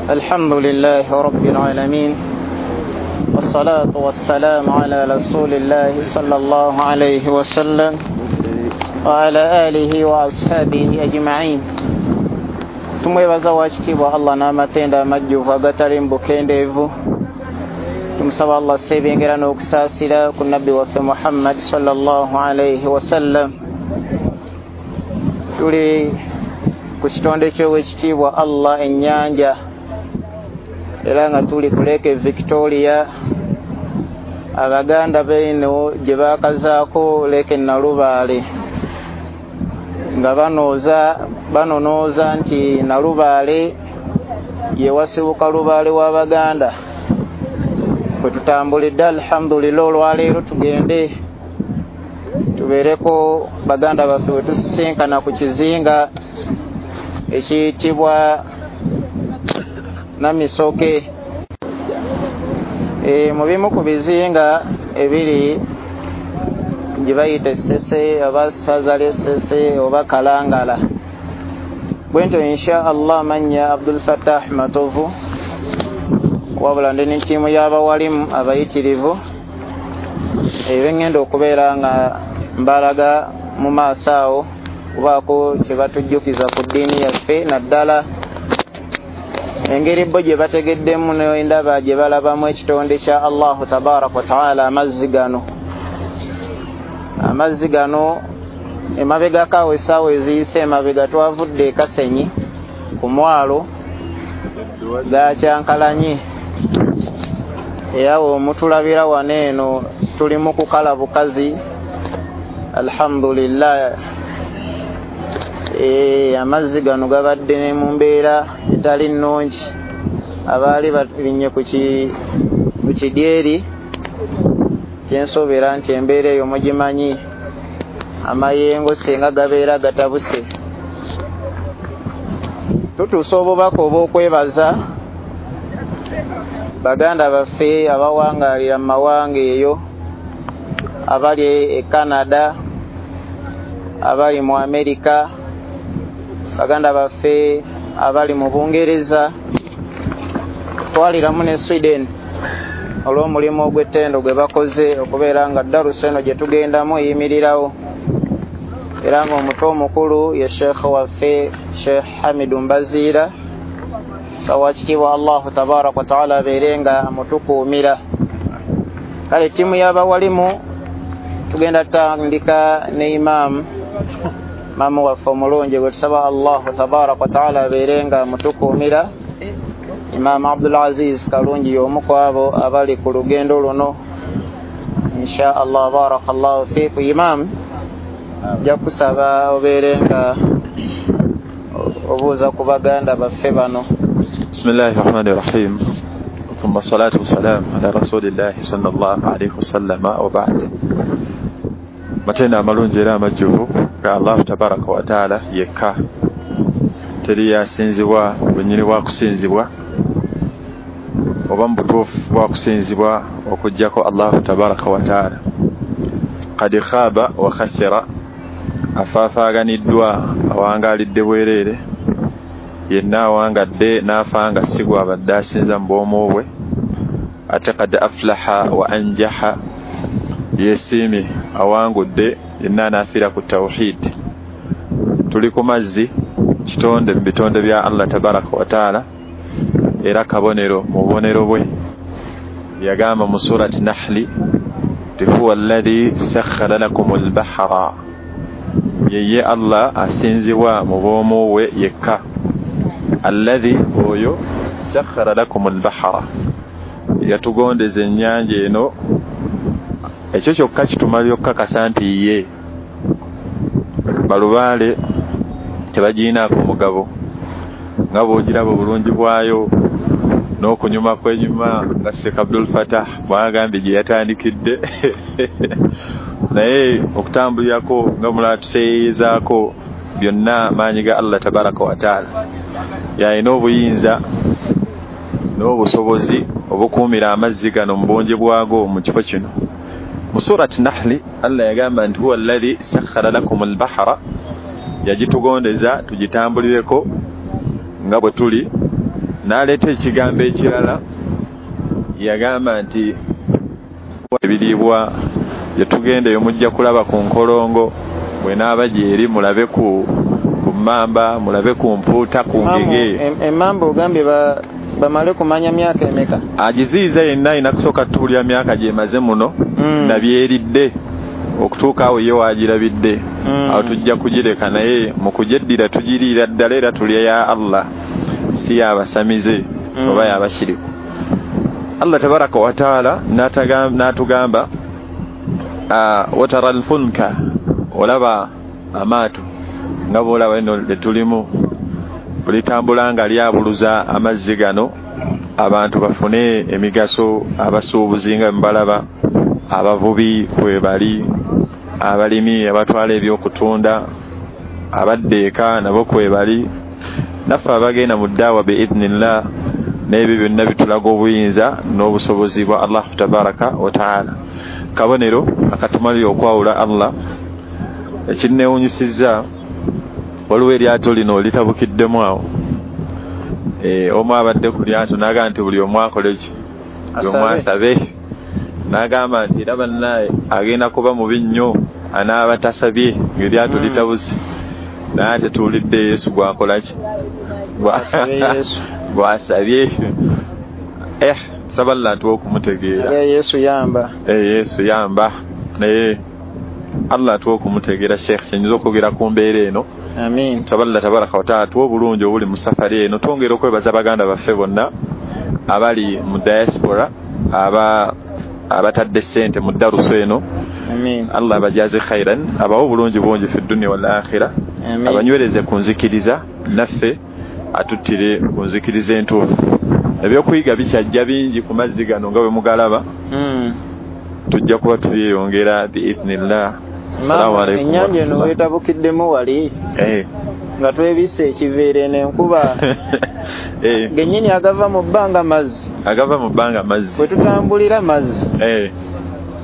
الحمد لله رب العالمين والصلاة والسلام على رسول الله صلى الله عليه وسلم وعلى آله وأصحابه أجمعين. Tumwebaza wakitiibwa Allah n'amatendo amajjuvu agatali mu bukendeevu. Tumusaba Allah asse n'okusaasira ku nabbi waffe Muhammad sallallahu alaihi wasallam. Tuli ku kitonde ky'owekitiibwa Allah ennyanja, era nga tuli ku Lake Victoria, Abaganda beeno gye baakazaako Lake Nalubaale, nga banonooza nti Nalubaale ye wasibuka lubaale w'Abaganda. Bwe tutambulidde alhamdulillah, olwaleero tugende tubeereko baganda baffe bwe tusisinkana ku kizinga ekiyitibwa Namisoke. Mu bimu ku bizinga ebiri gye bayita Essese oba ssaza ly'Essese oba Kalangala. Bwentyo insha Allah mannya Abdul Fattah Matovu, wabula ndi ne ttiimu y'abawalimu abayitirivu ebengenda okubeera nga mbalaga mu maaso awo kubaako kye batujjukiza ku ddiini yaffe, naddala engeri bo gye bategeddemu n'endaba gye balabamu ekitonde kya Allahu tabaraka wa taala. Amazzi gano emabegako awo essaawa eziyise emabega twavudde e Kasenyi ku mwalo gakyankalanye, era omutulabira wano eno tuli mu kukala bukazi alhamdulillah. Amazzi gano gabadde ne mu mbeera etali nnungi, abaali balinnye ku kidyeri kyensuubira nti embeera eyo mugimanyi, amayengo singa gabeera gatabuse. Tutuusa obubaka obw'okwebaza baganda baffe abawangaalira mu mawanga eyo, abali e Canada, abali mu Amerika, baganda baffe abali mu Bungereza, twaliramu ne Sweden, olw'omulimu ogw'ettendo gwe bakoze okubeera nga darusa eno gye tugendamu eyimirirawo. Era ng'omutwe omukulu ye Sheikh waffe Sheikh Hamidu Mbaziira, sawa kitiibwa Allahu tabaraka wa taala abeere nga amutukuumira. Kale ttiimu y'abawalimu tugenda tutandika ne imaamu maamu waffe omulungi gwe tusaba Allahu tabaraka wa taala abeere nga amutukuumira, Imam Abdul Aziz Kalungi y'omu ku abo abali ku lugendo luno insha Allah. Barakallahu fiiku. Imam, nja kusaba obeere nga obuuza ku baganda baffe bano. Bismillahi rahmani rahim, thumma salatu wassalam ala rasulillahi sallallahu alaihi wasallama wa ba'd. Matendo amalungi era amajjuvu ga Allahu tabaraka wa taala yekka, teri yasinzibwa bwennyini bwa kusinzibwa oba mu butuufu bwa kusinzibwa okuggyako Allahu tabaraka wa taala. Qad khaba wa khasira, afaafaaganiddwa awangaalidde bwereere, yenna awangadde n'afa nga si gw'abadde asinza mu bwomu bwe. Ate qad aflaha wa anjaha, yeesiimye awangudde yenna anaafiira ku tawhid. Tuli ku mazzi, kitonde mu bitonde bya Allah tabaraka wa taala, era kabonero mu bubonero bwe. Yagamba mu surati Nahli nti huwa alladhi sakhkhara lakum albahra, yeye Allah asinzibwa mu bwomu bwe yekka. Alladhi, oyo, sakhkhara lakum albahra, yatugondeza ennyanja eno. Ekyo kyokka kitumala okkakasa nti ye balubaale tebagiinaako mugabo, nga bw'ogiraba obulungi bwayo n'okunyuma kwenyuma nga Sheikh Abdul Fattah bw'agambye gye yatandikidde naye okutambulirako nga mulala tuseeyeezaako byonna maanyi ga Allah tabaraka wa taala. Yalina obuyinza n'obusobozi obukuumira amazzi gano mu bungi bwago mu kifo kino. Mu surati Nahli Allah yagamba nti huwa alladhi sakhkhara lakum albahra, yagitugondeza tugitambulireko nga bwe tuli. N'aleeta ekigambo ekirala, yagamba nti ebiriibwa gye tugenda eyo mujja kulaba ku nkolongo, bwenaaba gyeri mulabe ku mmamba, mulabe ku mpuuta, ku ngege. Emmamba ogambye bamale kumanya myaka emeka? Agiziyiza yenna alina kusooka tuwulira myaka gyemaze muno nabyeridde okutuuka awo ye waagirabidde. Awo tujja kugireka, naye mu kugyeddira tugiriira ddala era tulya ya Allah, si yabasamize oba yabashiriku. Allah tabaraka wa taala n'atugamba watara alfulka, olaba amaato nga bw'olaba eno lye tulimu bulitambula nga lyabuluza amazzi gano, abantu bafune emigaso, abasuubuzi nga mbalaba, abavubi kwe bali, abalimi abatwala ebyokutunda, abadda eka nabo kwe bali, naffe abagenda mu ddaawa biidhnillah. N'ebyo byonna bitulaga obuyinza n'obusobozi bwa Allah tabaraka wa taala, kabonero akatumalira okwawula Allah. Ekinneewunyisizza, waliwo eryato lino litabukiddemu awo, omu abadde ku lyato n'agamba nti buli omu akole ki, buli omu asabe. N'agamba nti era bannaye agenda kuba mubi nnyo anaaba tasabye ng'eryato litabuse, naye ate tuwulidde Yesu gwakola ki, gwasabye. Saba Allah atuwe okumutegeera. Yesu yamba, Yesu yamba, naye Allah atuwe okumutegeera. Sheikh, kyenyinza okwogera ku mbeera eno. Amin. Saba Allah tabaraka wa taala atuwe obulungi obuli mu safari eno. Twongera okwebaza baganda baffe bonna abali mu diaspora abatadde ssente mu darusu eno. Amin. Allah abajaze khairan, abawe obulungi bungi fi dunya wal akhira, abanywereze ku nzikiriza, naffe atuttire ku nzikiriza entuufu. Ebyokuyiga bikyajja bingi ku mazzi gano nga bwe mugalaba, tujja kuba tubyeyongera biidhnillah. Assalamu alaikum. Ennyanja eno wetabukiddemu wali nga twebisse ekiveera eno enkuba gennyini agava mu bbanga mazzi, agava mu bbanga mazzi, bwe tutambulira mazzi.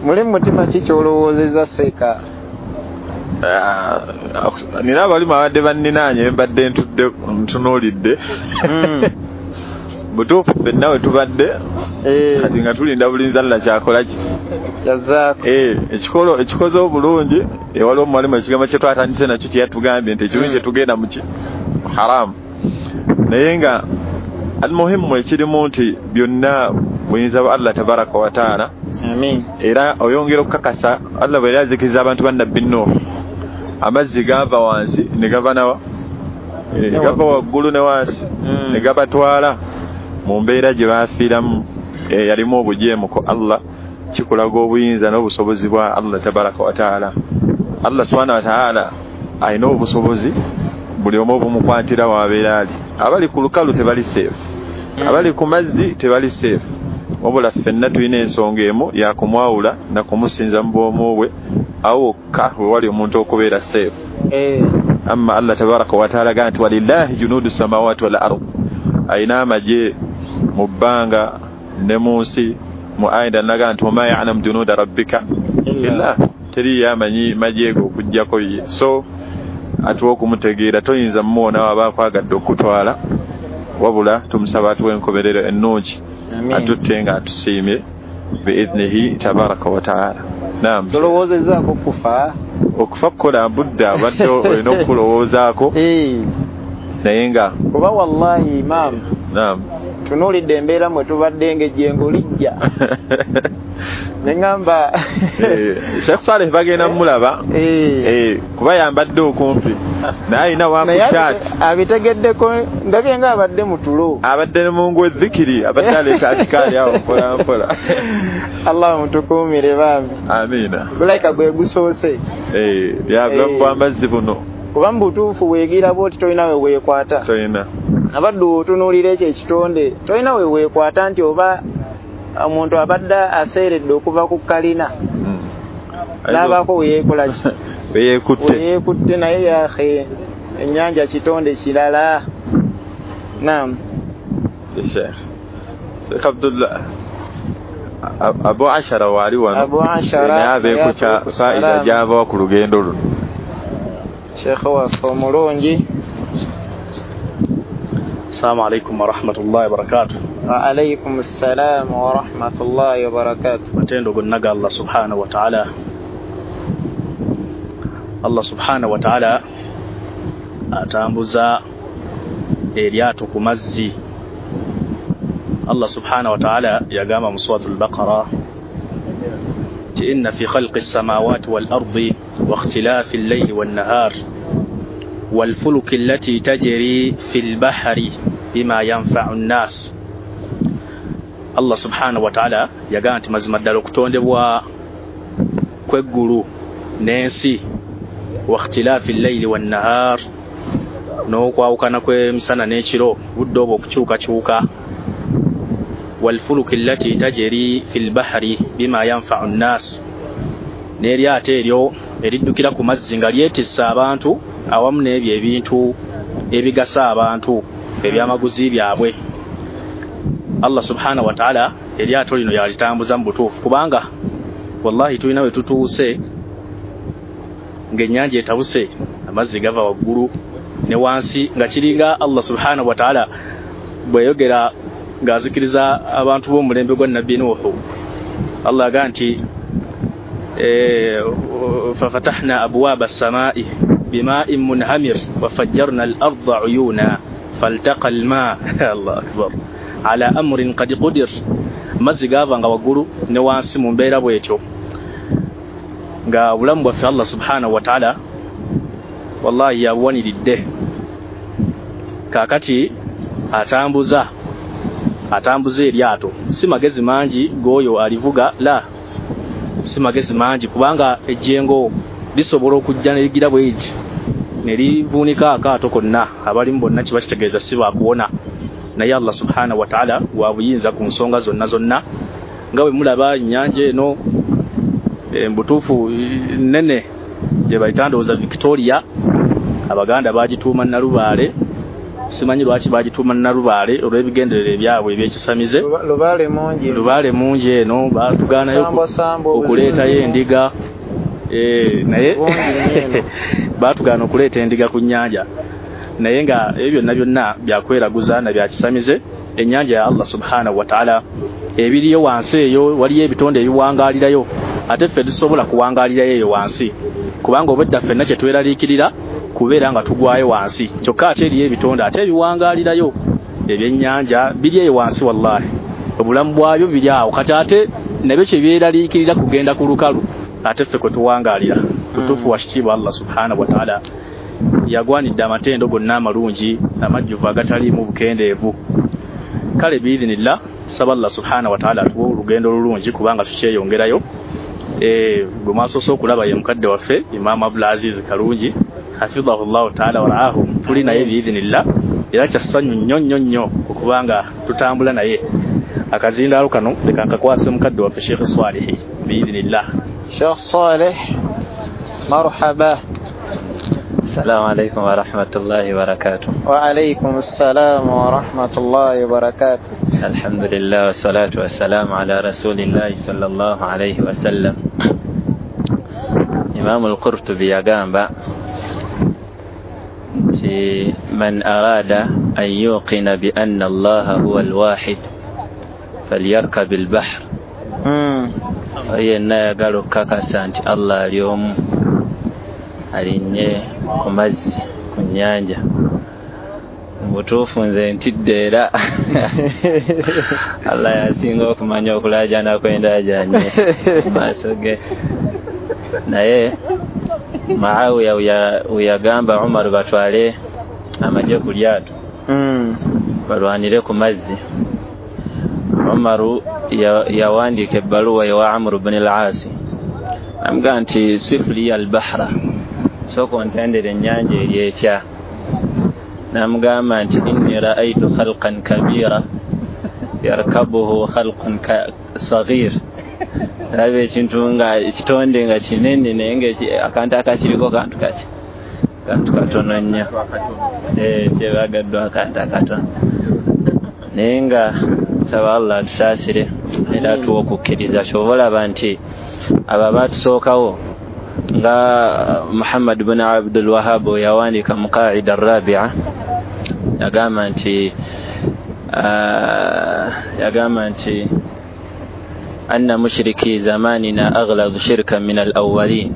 Muli mutima ki ky'olowoozezza seeka? Nina abalimu abadde banninaanye mbadde ntudde ntunuulidde. Butuufu ffenna we tubadde kati nga tulinda bulinzi Allah kyakola ki, yazaako. Ekikoze obulungi, waliwo omuwalimu ekigambo kye twatandise nakyo kye yatugambye nti ekirungi kyetugenda mu ki haramu, naye nga almuhimu ekirimu nti byonna buyinza bwa Allah tabaraka wa taala. Amin. Era oyongera okukakasa Allah bwe yali azikiriza abantu ba Nabbi Nuh, amazzi gava wansi ne gava nawa, gava waggulu ne wansi ne gabatwala mu mbeera gye baafiiramu, yalimu obujeemu ku Allah. Kikulaga obuyinza n'obusobozi bwa Allah tabaraka wa taala. Allah subhanahu wa taala alina obusobozi buli omu obumukwatira wabeera ali. Abali ku lukalu tebali safe, abali ku mazzi tebali safe, wabula ffenna tulina ensonga emu yakumwawula na kumusinza mu bwomu bwe, awo wokka we wali omuntu okubeera safe. Amma Allah tabaraka wa taala agamba nti walillahi junuudu samawati wal ard, alina amagye mu bbanga ne mu nsi. Mu aya endala n'agamba nti wama ya'lamu junuuda rabbika illa, teriyo amanyi magye go okuggyako ye. So atuwe okumutegeera, toyinza mumuwona waba akwagadde okutwala, wabula tumusaba atuwe enkomerero ennungi, atutte nga atusiimye biidhnihi tabaraka wa taala. Naam. Tolowoozezaako okufa? Okufa kukola budde abadde olina okukulowoozaako, naye nga kuba wallahi imam, naam, tunuulidde embeera mwe tubadde ng'ejjengo lijja neŋŋamba Sheikh Saleh bagenda mulaba kuba yambadde okumpi naye alina wakukyati abitegeddeko, ndabye nga abadde mu tulo, abadde mu ngwe zikiri, abadde aleeta atikaali awo mpola mpola. Allah mutukuumire bambi. Amiina. Gulayika gwe gusoose lyabulamu bw'amazzi buno, kuba mu butuufu weegira bw'oti tolina we weekwata, tolina abadde otunuulira ekyo ekitonde tolina we weekwata nti oba omuntu abadde aseeredde okuva ku kalina n'abaako weyeekola ki, weyeekutte, naye yahe ennyanja kitonde kirala. Naam. Sheikh Abdullah Abu Ashara waali wano, Abu Ashara naye abeeko kya faida gy'abawa ku lugendo luno. Sheikh waffe omulungi. Assalamu alaikum warahmatullahi wabarakatuh. Wa alaikum assalam warahmatullahi wabarakatuh. Matendo gonna ga Allah subhanahu wa ta'ala. Allah subhanahu wa ta'ala atambuza eryato ku mazzi. Allah subhanahu wa ta'ala yagamba mu suratul Baqara inna fi khalqis samawati wal ardi wa ikhtilafil layli wan nahar wal fulki allati tajri fil bahri bima yanfa'u an-nas. Allah subhanahu wa ta'ala yagamba nti mazima ddala okutondebwa kw'eggulu n'ensi wa ikhtilafil layli wan nahar, n'okwawukana kw'emisana n'ekiro, budde obwo okukyukakyuka, walfuluki allati tajri fil bahri bima yanfa'u an-nas, n'eryato eryo eriddukira ku mazzi nga lyetissa abantu awamu n'ebyo ebintu ebigasa abantu ebyamaguzi byabwe. Allah subhanahu wa ta'ala eryato lino yalitambuza mu butuufu, kubanga wallahi tulina we tutuuse ng'ennyanja etabuse, amazzi gava waggulu ne wansi, nga kiringa Allah subhanahu wa ta'ala bweyogera ng'azikiriza abantu b'omulembe gwa Nabbi Nuhu. Allah agamba nti fafatahna abwaba as-samaa'i bima'in munhamir wa fajjarna al-ardha 'uyuna faltaqa al-ma' Allah akbar ala amrin qad qudir. Amazzi gava nga waggulu ne wansi mu mbeera bw'etyo, nga obulamu bwaffe Allah subhanahu wa ta'ala wallahi yabuwaniridde. Kaakati atambuza eryato, si magezi mangi g'oyo alivuga, la si magezi mangi, kubanga ejjengo lisobola okujja ne ligira bwegi ne livuunika akaato konna, abalimu bonna kiba kitegeeza si baakuwona. Naye Allah subhanahu wa ta'ala wa buyinza ku nsonga zonna zonna, nga bwe mulaba ennyanja eno mbutuufu nnene gye bayita ndowooza Victoria, Abaganda bagituuma Nalubaale. Simanyi lwaki bagituuma Nalubaale, olw'ebigendererwa ebyabwe ebyekisamize. Lubaale mungi eno batugaanayo okuleetayo endiga, naye batugaana okuleeta endiga ku nnyanja, naye nga ebyo byonna byonna byakweraguza na byakisamize. Ennyanja ya Allah subhanahu wa ta'ala ebiriyo wansi eyo waliyo ebitonde ebiwangaalirayo, ate ffe tusobola kuwangaalirayo eyo wansi, kubanga obwedda ffenna kye tweraliikirira kubeera nga tugwayo wansi. Kyokka ate eriyo ebitonde ate ebiwangaalirayo ebyennyanja biri eyo wansi, wallahi obulamu bwabyo biri awo. Kati ate nabyo kye byeraliikirira kugenda ku lukalu, ate ffe kwe tuwangaalira. Tutuufu wa kitiibwa Allah subhanahu wa ta'ala yagwanidde amatendo gonna amalungi amajjuvu agataliimu bukendeevu. Kale biidhinillah, saba Allah subhanahu wa ta'ala atuwe olugendo olulungi, kubanga tukyeyongerayo. Gwe mwasoose okulaba ye mukadde waffe Imam Abdulaziz Kalungi hafidhahullahu ta'ala waraahu, tuli naye biidhinillah, era kya ssanyu nnyo nnyo nnyo okubanga tutambula naye. Akazindaalo kano leka nkakwase mukadde waffe Sheikh Swalihi biidhinillah. Sheikh Saleh, marhaba. Assalamu alaikum warahmatullahi wabarakatuh. Wa alaikum assalam warahmatullahi wabarakatuh. Alhamdulillah wassalatu wassalamu ala rasulillahi sallallahu alayhi wasallam. Imam al-Qurtubi yagamba nti man arada an yuqina bi anna Allaha huwa al-wahid falyarkab al-bahr. Yenna ayagala okukakasa nti Allah ali omu, alinnye ku mazzi ku nnyanja. Mu butuufu nze ntidde, era Allah yasinga okumanya okulaajana kw'endaajanye maaso ge. Naye Muawiya weyagamba Umar batwale amagye ku lyato balwanire ku mazzi, Umaru yawandiika ebbaluwa ewa Amru bni al-Aasi, amugamba nti sifli al-bahra, sooka ontendere ennyanja eri etya. Namugamba nti inni ra'aytu khalqan kabira yarkabuhu khalqun saghir, ndaba ekintu nga ekitonde nga kinene naye nga akantu akakiriko kantu kaki, kantu katono nnyo, kyebagaddwa akantu akatono. Naye nga nsaba Allah atusaasire era atuwe okukkiriza. Ky'oba olaba nti abo abatusookawo nga Muhammad bin Abdul Wahhab yawandiika mu Qaida Arabia Yagamba nti anna mushriki zamanina aghladu shirkan min al-awwalin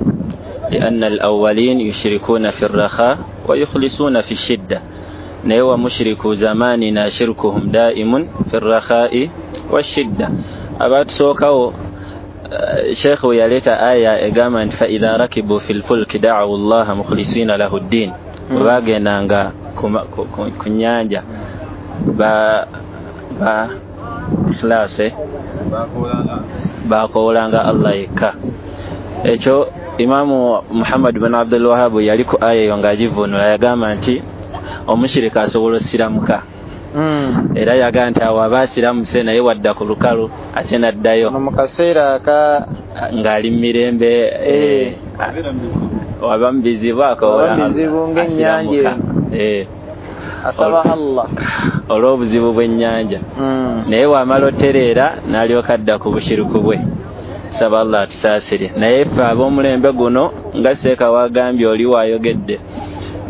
lianna al-awwalin yushrikuna fi ar-rakha wa yukhlisuna fi ash-shidda, naye wa mushriku zamanina shirkuhum daimun fi ar-rakha'i wash-shidda. Abatusookawo Sheikh we yaleeta aya egamba nti fa idha rakibu fil fulki da'u Allaha mukhlisina lahu ddin, bwe bagendanga ku nnyanja ba ikhlase bakoolanga Allah yekka. Ekyo Imamu Muhammad bin Abdul Wahhab yali ku aya eyo ng'agivvuunula, yagamba nti omushirika asobola osiramuka. Era yagamba nti awo aba asiramuse naye wadda ku lukalu ate n'addayo mu kaseera aka ng'ali mu mirembe, waba mu bizibu akoola ng'ennyanja asaba Allah olw'obuzibu bw'ennyanja, naye wamala otereera n'alyoka adda ku bushiriku bwe. Saba Allah atusaasire. Naye ffe ab'omulembe guno nga Seeka wagambye oli waayogedde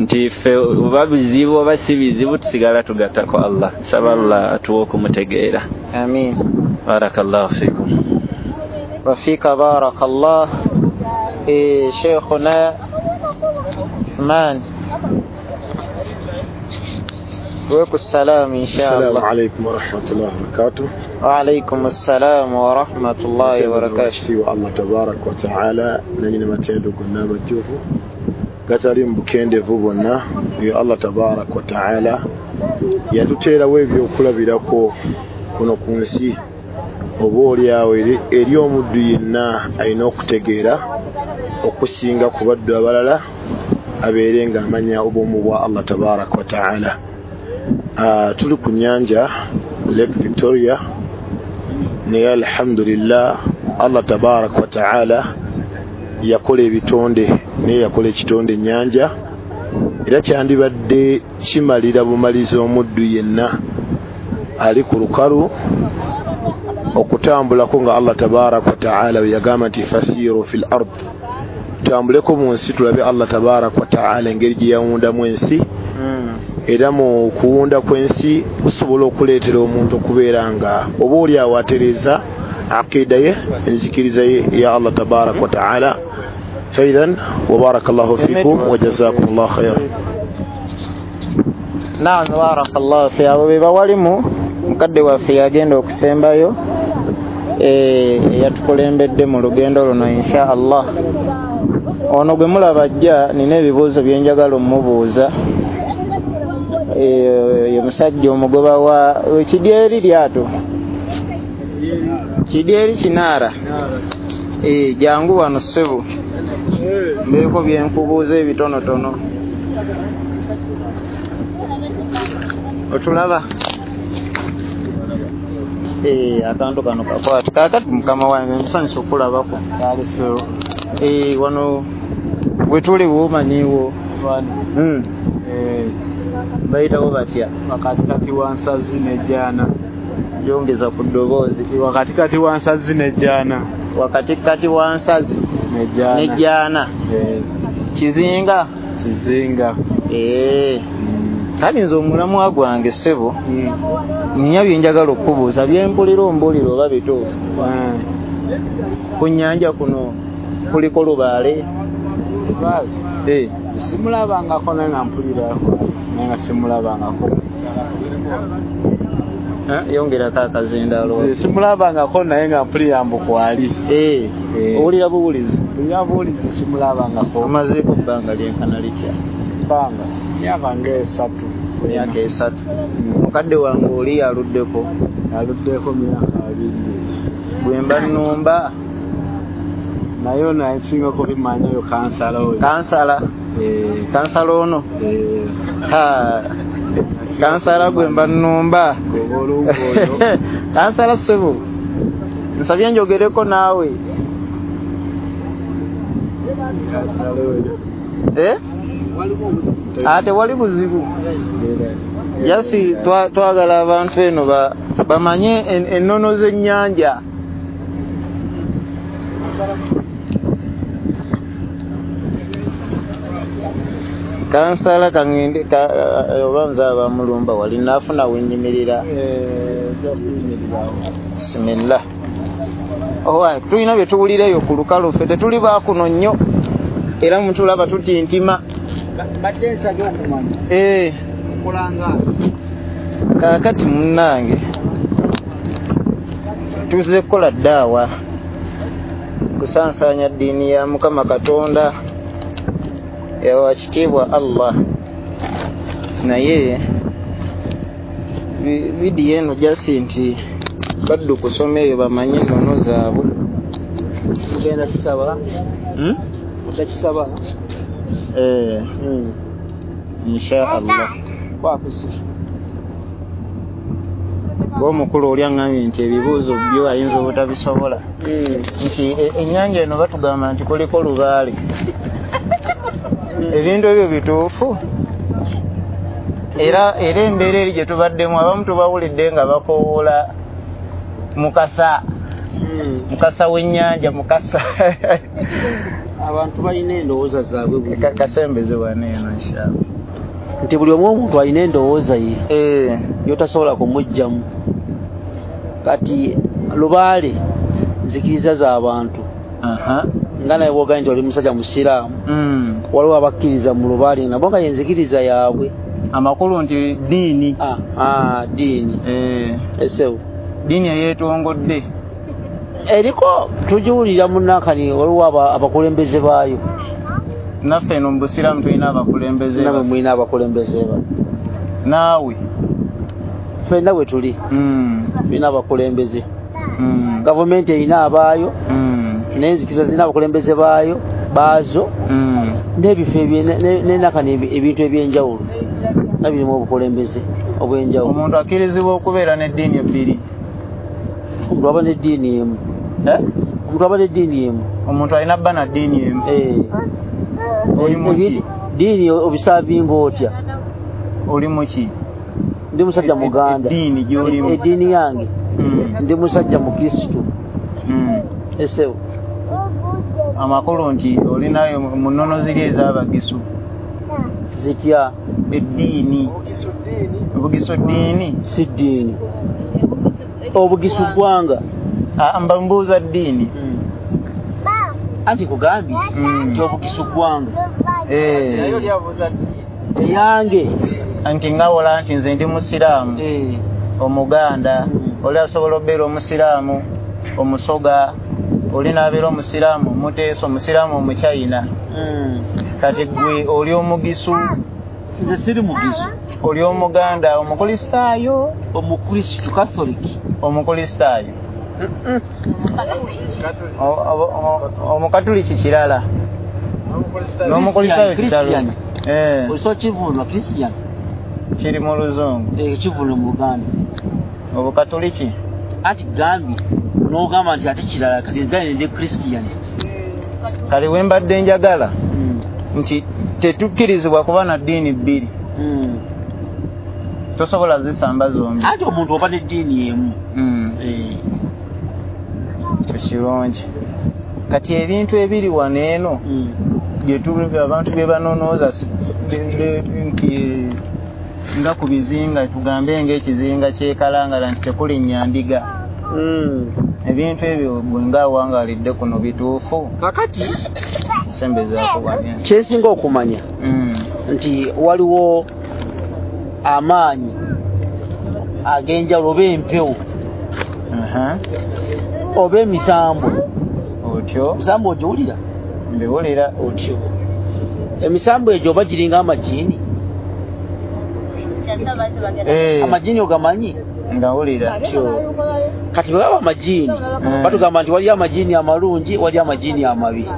nti ffe oba bizibu oba si bizibu tusigala tugattako Allah. Saba Allah atuwe okumutegeera. Amin. Barakallahu fikum. Wa fika barakallah. Sheikhuna Uthman. Wa salam inshallah. Assalamu alaykum wa rahmatullahi wa barakatuh. Wa alaykum assalam wa rahmatullahi wa barakatuh. Wa Allah tabarak wa ta'ala nanyini matendo gonna amajjuvu gatali mu bukendevu bwonna. Yo Allah tabarak wa ta'ala yatuteerawo ebyokulabirako kuno ku nsi, oba oliawo eri omuddu yenna alina okutegeera okusinga ku baddu abalala abeere ng'amanya obumu bwa Allah tabarak wa ta'ala. Tuli ku nnyanja Lake Victoria, naye alhamdulillah Allah tabarak wa ta'ala yakola ebitonde, naye yakola ekitonde ennyanja, era kyandibadde kimalira bumaliza omuddu yenna ali ku lukalu okutambulako nga Allah tabarak wa ta'ala bwe yagamba nti fasiru fil ard, tutambuleko mu nsi tulabe Allah tabarak wa ta'ala engeri gye yawundamu ensi. Era mu kuwunda kw'ensi kusobola okuleetera omuntu okubeera nga oba oli awo atereeza aqida ye, enzikiriza ye ya Allah tabarak wa ta'ala. Faidhan wa barakallahu fikum wa jazakumullahu khairan. Naam, barakallahu fi. Abo be bawalimu mukadde waffe yagenda okusembayo yatukulembedde mu lugendo luno insha Allah. Ono gwe mulaba ajja nina ebibuuzo bye njagala omubuuza. Ye musajja omugoba wa kidyeri lyato kidyeri kinaara, jangu wano ssebo mbeeko bye nkubuuza ebitonotono. Otulaba akantu kano kakwata kaakati mukama wange nsanyusa okulabako. Wano bwe tuli womanyiwo bayitawo batya? Wakatikati wa nsazi n'ejjaana. Yongeza ku ddoboozi. Wakatikati wa nsazi n'ejjaana. Wakatikati wa nsazi n'ejjaana. Kizinga. Kizinga. Kale nze omulamwa gwange ssebo nnya bye njagala okubuuza bye mpulira ombulira oba bituufu. Ku nnyanja kuno kuliko lubaale? Simulabangako naye nga mpulirako, naye nga simulabangako. Yongerako akazindaalo. Simulabangako naye nga mpulira mbu kwali. Owulira buwulizi? Mpulira buwulizi, simulabangako. Omazeeko bbanga lyenkana litya? Bbanga myaka ng'esatu. Myaka esatu. Mukadde wange oli aluddeko? Aluddeko myaka 2. Bwe mba nnumba naye ono asinga kubimanya oyo kansala oyo. Kansala? Kansala ono? Kansala gwe mba nnumba. Kansala ssebo, nsabye njogereko naawe. Tewali buzibu. Jasi twagala abantu eno bamanye ennono z'ennyanja. Kansala kangende oba nze abamulumba wali naafuna wenyimirira. Bismillah. Owa tulina bye tuwulira eyo ku lukalu ffe tetuli baakuno nnyo era mutulaba tutintima. Badde nsabye okumanya okulanga kaakati munnange tuzze kukola ddaawa kusansaanya ddiini ya Mukama Katonda yawa kitiibwa Allah, naye vidiyo eno jasi nti baddu kusoma eyo bamanye ennono zaabwe. Mugenda kisaba? Mugenda kisaba? Insha Allah. Kwakusi omukulu oli aŋŋambye nti ebibuuzo byo ayinza obutabisobola. Nti ennyanja eno batugamba nti kuliko lubaale. Ebintu ebyo bituufu? Era embeera eri gye tubaddemu abamu tubawulidde nga bakowoola mukasa, mukasa w'ennyanja, mukasa. Abantu balina endowooza zaabwe. Kasembeze wano eno inshallah. Nti buli omu omuntu alina endowooza ye yotasobola kumuggyamu. Kati lubaale nzikiriza z'abantu. Nga naye bw'ogambye nti oli musajja musiraamu, waliwo abakkiriza mu lubaale nabo nga yenzikiriza yaabwe. Amakulu nti ddiini. Ddiini. Esewo ddiini eyeetongodde eriko tugiwulira munnakani, waliwo abakulembeze baayo. Naffe eno mu busiraamu tulina abakulembeze. Namwe mulina abakulembeze ba naawe ffenna bwe tuli tulina abakulembeze. Gavumenti erina abaayo, n'enzikiriza zirina abakulembeze baayo baazo, n'ebifo n'enakani ebintu ebyenjawulo nga birimu obukulembeze obw'enjawulo. Omuntu akkirizibwa okubeera n'eddiini ebbiri? Omuntu aba n'eddiini emu. Omuntu aba n'eddiini emu. Omuntu alina bba na ddiini emu. Oli muki? Ddiini obisaavinga otya? Oli muki? Ndi musajja Muganda. Eddiini gy'olimu? Eddiini yange ndi musajja Mukristu. Esewo amakulu nti olinayo mu nnono ziri ez'abagisu zitya? Eddiini obugisu ddiini si ddiini. Obugisu ggwanga. Mba mbuuza ddiini. Anti kugambye nti obugisu ggwanga. Eyange nti ngawola nti nze ndi musiraamu omuganda, oli asobola okubeera omusiraamu omusoga, oli n'abeera omusiraamu omuteesa, omusiraamu omuchina. Kati gwe oli omugisu? Nze siri mugisu. Oli omuganda omukulisitaayo? Omukristu Katholiki. Omukulisitaayo. Omukatuliki kirala n'omukulisitaayo kirala. Osobola kivunula Christian kiri mu luzungu, kivunula mu Luganda. Obukatuliki anti gambye n'ogamba nti ate kirala, kati gambye ndi Christian. Kale we mbadde njagala nti tetukkirizibwa kuba na ddiini bbiri. Tosobola zisamba zombi. Anti omuntu oba n'eddiini emu. Kirungi. Kati ebintu ebiri wano eno abantu bye banonooza nti nga ku bizinga, tugambe ng'ekizinga ky'ekalangala nti tekulinnya ndiga. Ebintu ebyo gwe ng'awangaalidde kuno bituufu? Kakati sembezaako wano. Kyensinga okumanya nti waliwo amaanyi ag'enjawulo oba empewo oba emisambwa. Otyo emisambo ogiwulira? Mbiwulira. Otyo emisambo egyo oba giringa amajiini? Amajiini ogamanyi? Ngawulira. Kati bwe baba amajiini batugamba nti waliyo amajiini amalungi, waliyo amajiini amabi.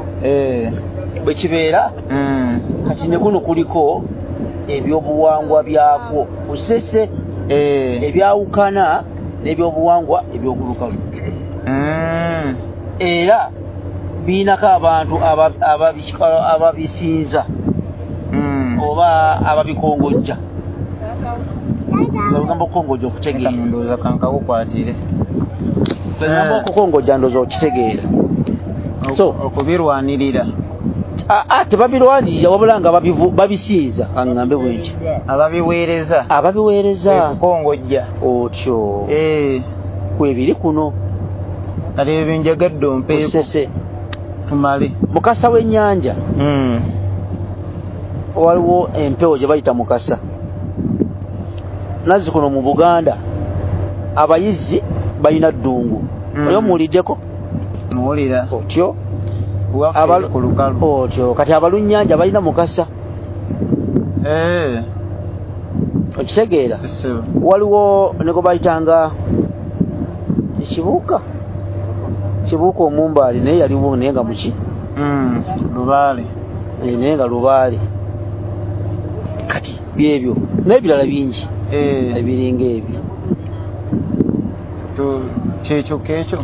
Bwe kibeera kati ne kuno kuliko ebyobuwangwa byakwo kusese ebyawukana n'ebyobuwangwa ebyokulukalu. Era biinako abantu ababisinza oba ababikongojja. Olugamba okukongojja okutegeera. Ndowooza kankakukwatire. Olugamba okukongojja ndowooza okitegeera. So okubirwanirira. Tebabirwanirira wabula nga babisinza, aŋŋambe bwe nti ababiweereza, ababiweereza kukongojja otyo kwebiri kuno. Kati ebyo njagadde ompeeko tumale. Mukasa w'ennyanja waliwo empewo gye bayita mukasa. Nazzi kuno mu Buganda abayizi balina ddungu. Oyo muwuliddeko? Muwulira. Otyo ku lukalu. Otyo kati abalunnyanja balina mukasa. Okitegeera? Waliwo ne gwe bayitanga ekibuuka, kibuuka omumbaali, naye yaliwo naye nga muki lubaale, naye nga lubaale. Kati byebyo n'ebirala bingi ebiringa ebyo. Kyekyo kekyo.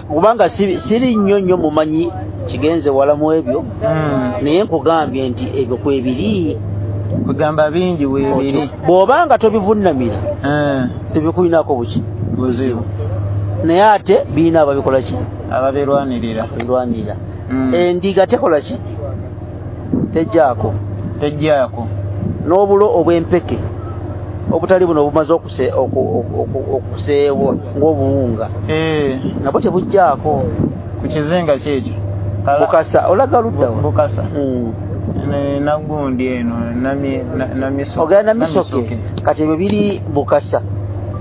Kubanga siri nnyo nnyo mumanyi kigenze wala mu ebyo, naye nkugambye nti ebyo kwebiri, kugamba bingi weebiri. Bw'obanga tobivunnamira tebikulinako buki buzibu, naye ate birina ababikola ki, ababirwanirira. Endiga tekola ki, tejjaako, tejjaako. N'obulo obw'empeke obutali buno obumaze okuseebwa ng'obuwunga nabwo tebujjaako. Ku kizinga kyekyo Bukasa, olaga luddawa? Bukasa nagundi eno namisoke. Ogenda Namisoke. Kati ebyo biri Bukasa,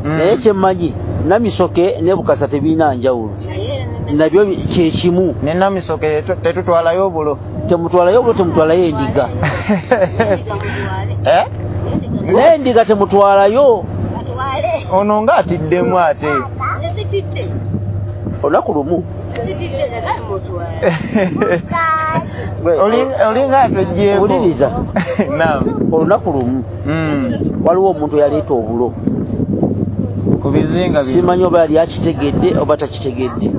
naye kyemmanyi Namisoke ne Bukasa tebirina njawulo, nabyo kyekimu. Ne Namisoke tetutwalayo obulo, temutwalayo obulo, temutwalayo endiga. N'endiga temutwalayo. Ono nga atiddemu ate olunaku lumu olinga atogyeeko. Wuliriza, olunaku lumu waliwo omuntu eyaleeta obulo ku bizinga, simanyi oba yali akitegedde oba takitegedde,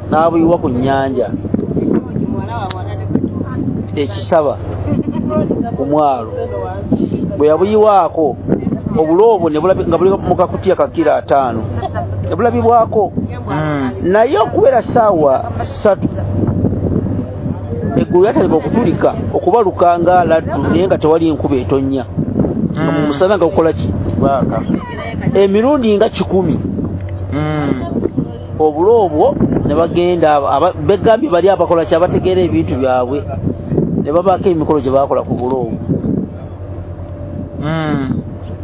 n'abuyiwa ku nnyanja ekisaba ku mwalo. Bwe yabuyiwaako obulo obwo nga buli mu kakutiya ka kilo 5 ne bulabibwako, naye okubeera ssaawa 3 eggulu lyatandika okutulika okubaluka nga laddu, naye nga tewali nkuba etonnya, nga mu musana nga gukola ki, emirundi nga 100. Obulo obwo ne bagenda begambye bali abakola ki, abategeera ebintu byabwe, ne babaako emikolo gye baakola ku bulo obwo.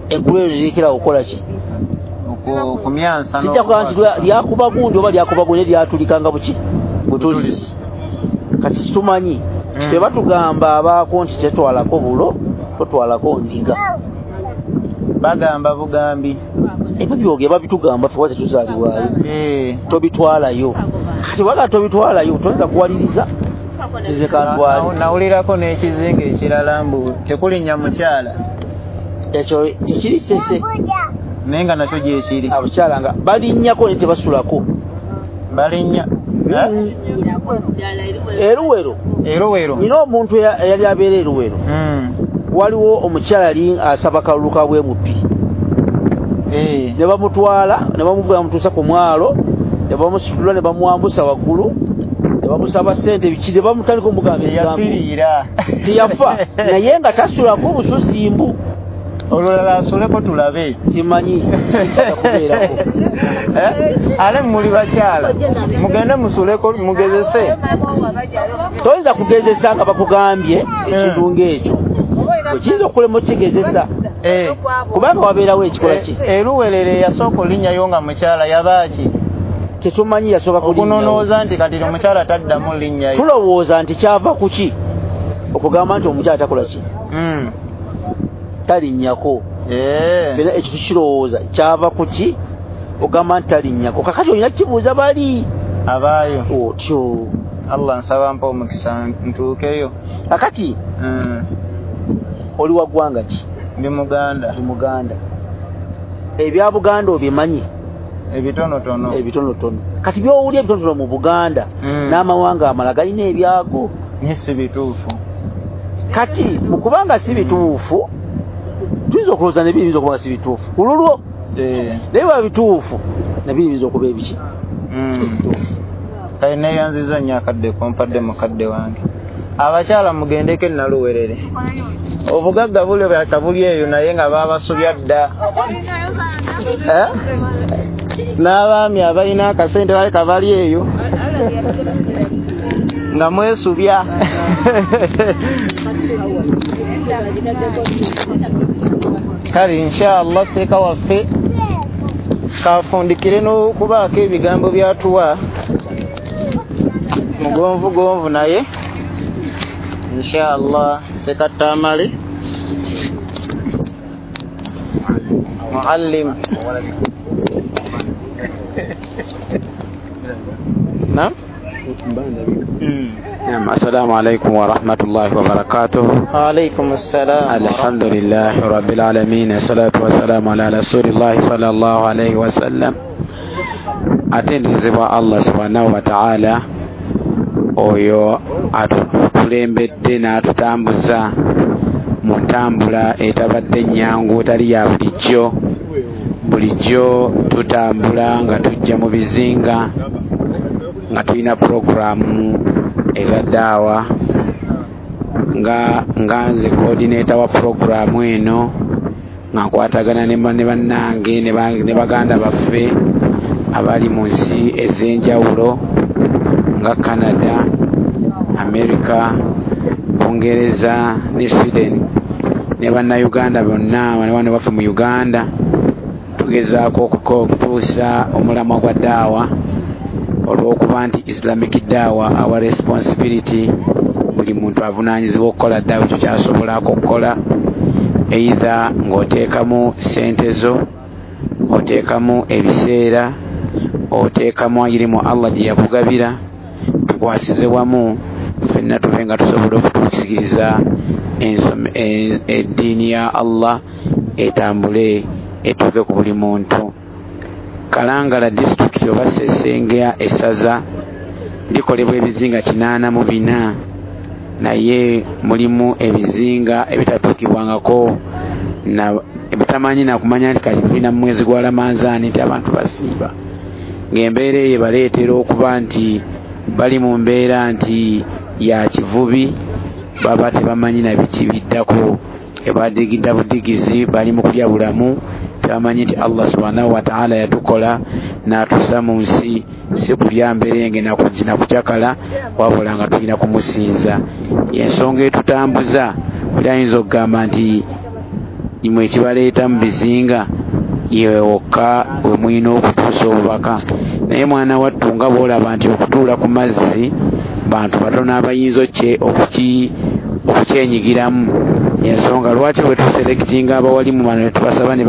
Eggulu eryo lirekera okukola ki, okumyansa. Sijja kugamba nti lyakuba gundi oba lyakuba gundi, lyatulikanga buki butulizi. Kati situmanyi, ffe batugamba abaako nti tetwalako bulo, totwalako ndiga. Bagamba bugambi ebyo byoge babitugamba, ffe tetuzaalibwayo, tobitwalayo. Kati waga tobitwalayo, toyinza kuwaliriza nze kantwale. Nawulirako n'ekizinga ekirala mbu tekulinnya mukyala. Ekyo tekiri Ssese, naye nga nakyo gyekiri. Abakyala nga balinnyako naye tebasulako. Balinnya Eruwero. Eruwero nina omuntu eyali abeera Eruwero, waliwo omukyala yali asaba kalulu ka bwemupi, ne bamutwala ne bamuvuga bamutuusa ku mwalo, ne bamusitula ne bamwambusa waggulu, ne bamusaba ssente biki, ne bamutandika omugamba ebigambo. Teyafiira, teyafa, naye nga tasulako obususimbu. Olulala asuleko tulabe. Simanyi kubeerako. Ale muli bakyala mugende musuleko mugezese. Toyinza kugezesa nga bakugambye ekintu ng'ekyo, okiyinza okulema okukigezesa kubanga wabeerawo ekikola ki. Eruwerere yasooka olinnyayo nga mukyala yabaaki? Tetumanyi yasooka kulinnyawo. Okunonooza nti kati omukyala taddamu linnyayo. Tulowooza nti kyava ku ki okugamba nti omukyala takola ki, talinnyako. Fena ekyo tukirowooza kyava ku ki ogamba nti talinnyako. Kakati olina kibuuza bali abaayo otyo. Allah nsaba mpa omukisa ntuukeyo. Kakati oli wa ggwanga ki? Ndi Muganda. Ndi Muganda. Ebya Buganda obimanyi? Ebitonotono. Ebitonotono. Kati by'owulira ebitonotono mu Buganda n'amawanga amalala galina ebyago. Naye si bituufu. Kati mu kubanga si bituufu, tuyinza okulowooza ne biyinza okuba si bituufu ku lulwo. Naye bwa bituufu nabyo biyinza okuba ebiki. Kale neeyanziza nnyo akadde kompadde mukadde wange. Abakyala mugendeko Naluwerere, obugagga buli bwakabuli eyo, naye nga baabasubya dda. N'abaami abalina akasente baleka bali eyo nga mwesubya. Kale inshallah seeka waffe kafundikire n'okubaako ebigambo byatuwa mugonvu gonvu, naye inshallah sekatamale muallim. Naam. نعم. السلام عليكم ورحمة الله وبركاته. وعليكم السلام. الحمد لله رب العالمين، الصلاة والسلام على رسول الله صلى الله عليه وسلم. Atenderezebwa Allah subhanahu wa ta'ala oyo atukulembedde n'atutambuza mu ntambula etabadde nnyangu, etali ya bulijjo. Bulijjo tutambula nga tujja mu bizinga nga tulina puroguramu eza daawa, nga nze coordinator wa puroguramu eno, nga nkwatagana ne bannange ne baganda baffe abali mu nsi ez'enjawulo nga Canada, America, Bungereza ne Sweden, ne bannayuganda bonna wano waffe mu Uganda. Tugezaako okutuusa omulamwa gwa daawa, olw'okuba nti Islamic daawa our responsibility, buli muntu avunaanyizibwa okukola daawa ekyo kyasobolako okukola, either ng'oteekamu ssente zo, oteekamu ebiseera, oteekamu irimu Allah gye yakugabira. Tukwasize wamu ffenna tube nga tusobola okutuukiriza eddiini ya Allah etambule etuuke ku buli muntu. Kalangala disitulikiti oba Sesengya essaza likolebwa ebizinga 84, naye mulimu ebizinga ebitatuukibwangako ebitamanyi nakumanya nti kali tulina mu mwezi gwa Ramanzaani nti abantu basiiba, ng'embeera eyo ebaleetera okuba nti bali mu mbeera nti ya kivubi, baba tebamanyi na biki biddako, ebadigidda budigizi, bali mu kulya bulamu, tebamanyi nti Allah subhanahu wa ta'ala yatukola n'atusa mu nsi si kulya mberenge nakucakala, wabula nga tulina kumusinza. Ensonga etutambuza, oli ayinza okugamba nti imwe ekibaleeta mu bizinga yewe wokka we mulina okutuusa obubaka, naye mwana wattu nga bw'olaba nti okutuula ku mazzi bantu batono abayinza okukyenyigiramu. Ensonga lwaki bwe tuselectinga abawalimu bano ne tubasaba ne